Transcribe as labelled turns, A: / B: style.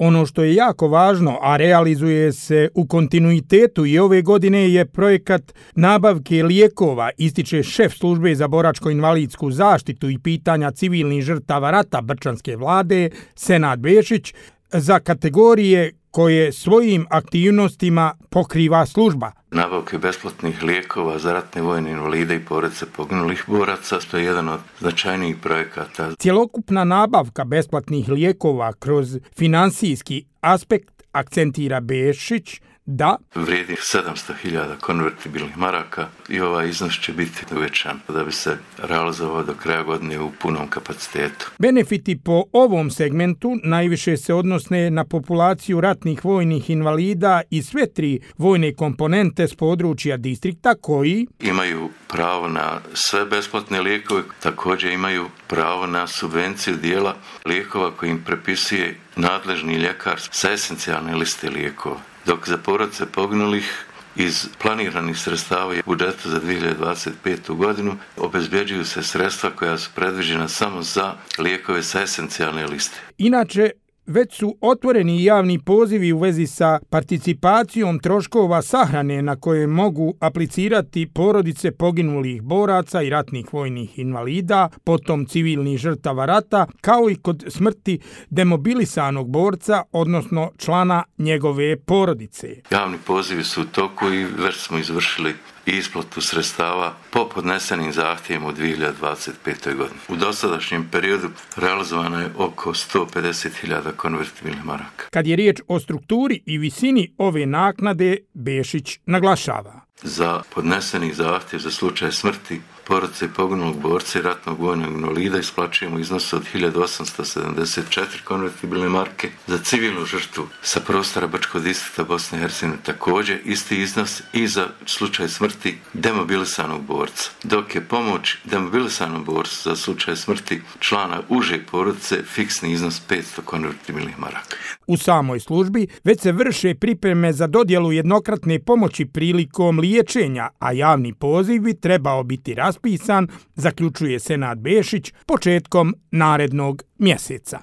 A: Ono što je jako važno, a realizuje se u kontinuitetu i ove godine, je projekat nabavke lijekova, ističe šef službe za boračko-invalidsku zaštitu i pitanja civilnih žrtava rata Brčanske vlade, Senad Bešić, za kategorije koje svojim aktivnostima pokriva služba.
B: Nabavke besplatnih lijekova za ratne vojne invalide i porodice poginulih boraca, to je jedan od značajnijih projekata.
A: Cjelokupna nabavka besplatnih lijekova kroz finansijski aspekt, akcentira Bešić, da
B: vrijedi 700.000 konvertibilnih maraka i ovaj iznos će biti uvećan da bi se realizovao do kraja godine u punom kapacitetu.
A: Benefiti po ovom segmentu najviše se odnose na populaciju ratnih vojnih invalida i sve 3 vojne komponente s područja distrikta koji
B: imaju pravo na sve besplatne lijekove, također imaju pravo na subvenciju dijela lijekova koji im prepisuje nadležni ljekar sa esencijalne liste lijekova. Dok za porodice poginulih iz planiranih sredstava u budžetu za 2025. godinu obezbjeđuju se sredstva koja su predviđena samo za lijekove sa esencijalne liste.
A: Inače, već su otvoreni javni pozivi u vezi sa participacijom troškova sahrane na koje mogu aplicirati porodice poginulih boraca i ratnih vojnih invalida, potom civilnih žrtava rata, kao i kod smrti demobilisanog borca, odnosno člana njegove porodice.
B: Javni pozivi su u toku i već smo izvršili isplatu sredstava po podnesenim zahtjevima u 2025. godini. U dosadašnjem periodu realizovano je oko 150.000 konvertibilnih maraka.
A: Kad je riječ o strukturi i visini ove naknade, Bešić naglašava.
B: Za podneseni zahtjev za slučaj smrti porodice poginulog borca i ratnog vojnog invalida isplaćujemo iznos od 1874 konvertibilne marke. Za civilnu žrtvu sa prostora Brčkog distrikta Bosne i Hercegovine također isti iznos i za slučaj smrti demobilisanog borca. Dok je pomoć demobilisanom borcu za slučaj smrti člana uže porodice fiksni iznos 500 konvertibilnih maraka.
A: U samoj službi već se vrše pripreme za dodjelu jednokratne pomoći prilikom liječenja, a javni poziv bi trebao biti raspisan, zaključuje Senad Bešić, početkom narednog mjeseca.